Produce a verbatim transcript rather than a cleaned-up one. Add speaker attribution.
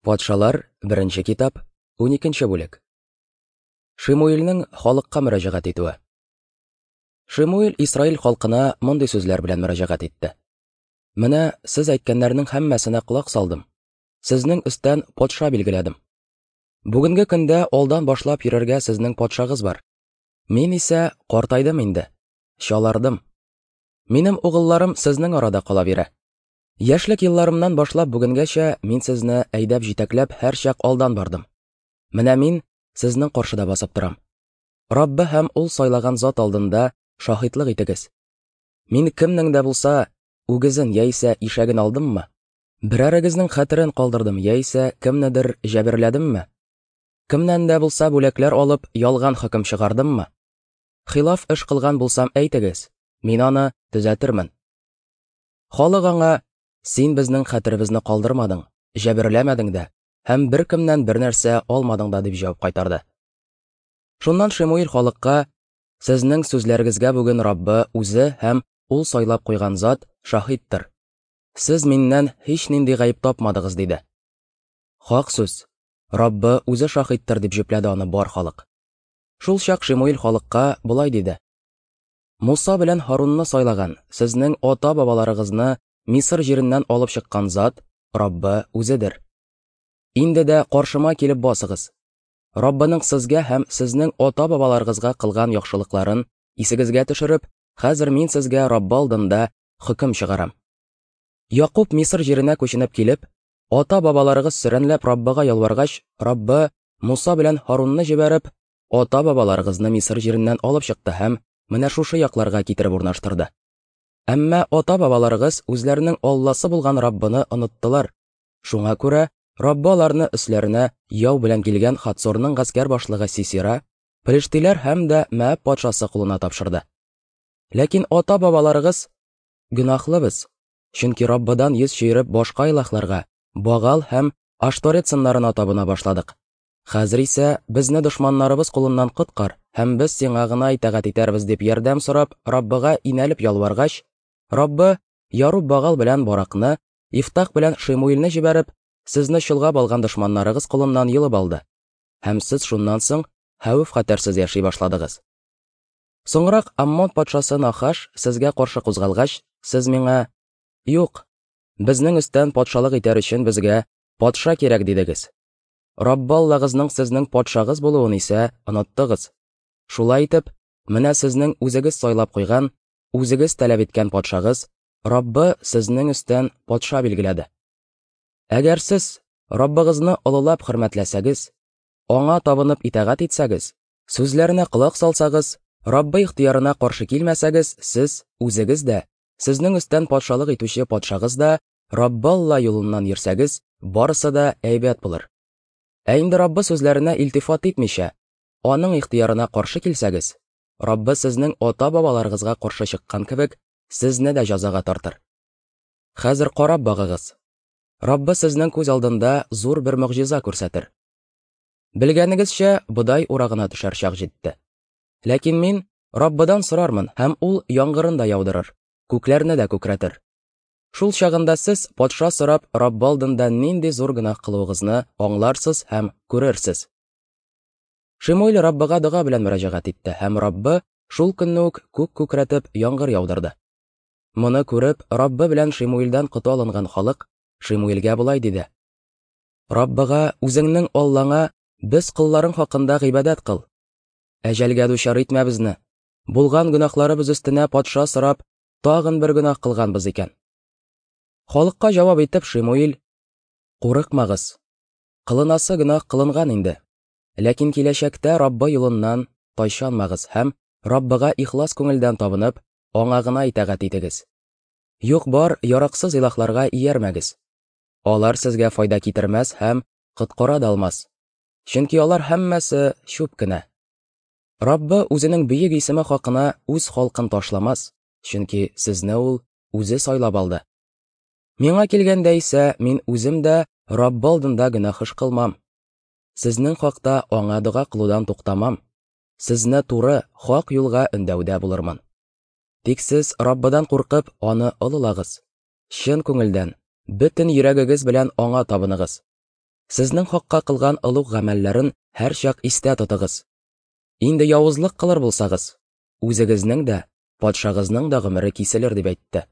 Speaker 1: Патшалар, беренче китап, уникенче бүлек. Шимуилнең халыкка мөрәҗәгать итүе. Шимуил Исраил халкына мондый сүзләр белән мөрәҗәгать итте. Менә сез әйткәннәрнең һәммәсенә колак салдым. Сезнең өстән патша билгеләдем. Бүгенге көндә алдан башлап йөрергә сезнең патшагыз бар. Мин исә картайдым инде, чалардым. Минем угылларым сезнең арада кала бирә. Яшьлек елларымнан башлап бүгенгәчә мин сезне әйдәп җитәкләп һәрчак алдан бардым. Менә мин сезнең каршыда басып торам. Раббы һәм ул сайлаган зат алдында шаһитлык итегез. Мин кемнең дә булса үгезен яисә ишәген алдыммы? Берәрегезнең хәтерен калдырдым яисә кемнедер җәберләдемме? Кемнән дә булса бүләкләр алып ялган хөкем чыгардыммы? Хилаф эш кылган булсам әйтегез, мин аны төзәтермен. Халык аңа: син безнең хәтеребезне калдырмадың, җәберләмәдең дә һәм беркемнән бер нәрсә алмадың да, дип җавап кайтарды. Шуннан Шимуил халыкка: сезнең сүзләрегезгә бүген Раббы үзе һәм ул сайлап куйган зат шаһиттыр. Сез миннән һич нинди гаеп тапмадыгыз, диде. Хак сүз, Раббы үзе шаһиттыр, дип җөпләде аны бар халык. Шул чак Шимуил халыкка болай диде: Муса белән Һарунны сайлаган, сезнең ата-бабаларыгызны Мисыр җиреннән алып чыккан зат Раббы үзедер. Инде дә каршыма килеп басыгыз. Раббының сезгә һәм сезнең ата-бабаларыгызга кылган яхшылыкларын исегезгә төшереп, хәзер мин сезгә Раббы алдында хөкем чыгарам. Якуб Мисыр җиренә күченеп килеп, ата-бабаларыгыз сөрәнләп Раббыга ялваргач, Раббы Муса белән Һарунны җибәреп, ата-бабаларыгызны Мисыр җиреннән алып чыкты һәм менә шушы якларга китереп урнаштырды. Әмма ата-бабаларыгыз үзләренең Алласы булган Раббыны оныттылар. Шуңа күрә Раббы аларны өсләренә яу белән килгән Хатсорның гаскәр башлыгы Сисира, Пелештиләр һәм дә Мәаб патшасы кулына тапшырды. Ләкин ата-бабаларыгыз: гөнаһлы без, чөнки Раббыдан йөз чөереп башка илаһларга, Багал һәм Ашторет сыннарына табына башладык. Хәзер исә безне дошманнарыбыз кулыннан коткар, һәм без сиңа гына итагать итәрбез, дип ярдәм сорап Раббыга инәлеп ялваргач, Раббы Яруб Багал белән Баракны, Ифтах белән Шимуилне җибәреп, сезне чолгап алган дошманнарыгыз кулыннан йолып алды. Һәм сез шуннан соң хәвеф-хәтәрсез яши башладыгыз. Соңрак Аммон патшасы Нахаш сезгә каршы кузгалгач, сез миңа: юк, безнең өстән патшалык итәр өчен безгә патша кирәк, дидегез. Раббы Аллагызның сезнең патшагыз булуын исә оныттыгыз. Шулай итеп, менә сезнең үзегез сайлап куйган, үзегез таләп иткән патшагыз Раббы сезнең өстән патша билгеләде. Әгәр сез Раббыгызны олылап хөрмәтләсәгез, аңа табынып итагать итсәгез, сүзләренә колак салсагыз, Раббы ихтыярына каршы килмәсәгез, сез үзегез дә, сезнең өстән патшалык итүче патшагыз да Раббы Алла юлыннан йөрсәгез, барысы да әйбәт булыр. Ә инде Раббы сүзләренә илтифат итмичә, аның ихтыярына каршы килсәгез, Раббы сезнең ата-бабаларыгызга каршы чыккан кебек, сезне дә җәзага тартыр. Хәзер карап багыгыз. Раббы сезнең күз алдында зур бер могҗиза күрсәтер. Белгәнегезчә, бодай урагына төшәр чак җитте. Ләкин мин Раббыдан сорармын, һәм ул яңгырын да яудырыр, күкләрне дә күкрәтер. Шул чагында сез патша сорап Раббы алдында нинди зур гөнаһ кылуыгызны аңларсыз һәм күрерсез. Шимуил Раббыга дога белән мөрәҗәгать итте, һәм Раббы шул көнне үк күк күкрәтеп яңгыр яудырды. Моны күреп, Раббы белән Шимуилдән коты алынган халык Шимуилгә болай диде: Раббыга, үзеңнең Аллаңа, без колларың хакында гыйбадәт кыл. Әҗәлгә дучар итмә безне. Булган гөнаһларыбыз өстенә патша сорап, тагын бер гөнаһ кылганбыз икән. Халыкка җавап итеп Шимуил: курыкмагыз. Кылынасы гөнаһ кылынган инде. Ләкин киләчәктә Раббы юлыннан тайчанмагыз һәм Раббыга ихлас күңелдән табынып, аңа гына итагать итегез. Юк бар яраксыз илаһларга иярмәгез. Алар сезгә файда китермәс һәм коткара да алмас. Чөнки алар һәммәсе чүп кенә. Раббы үзенең бөек исеме хакына үз халкын ташламас, чөнки сезне ул үзе сайлап алды. Миңа килгәндә исә, мин үзем дә Раббы алдында гөнаһ эш кылмам. Сезнең хакта аңа дога кылудан туктамам. Сезне туры, хак юлга өндәүдә булырмын. Тик сез Раббыдан куркып, аны олылагыз. Чын күңелдән, бөтен йөрәгегез белән аңа табыныгыз. Сезнең хакка кылган олуг гамәлләрен һәрчак истә тотыгыз. Инде явызлык кылыр булсагыз, үзегезнең дә, патшагызның да гомере киселер, дип әйтте.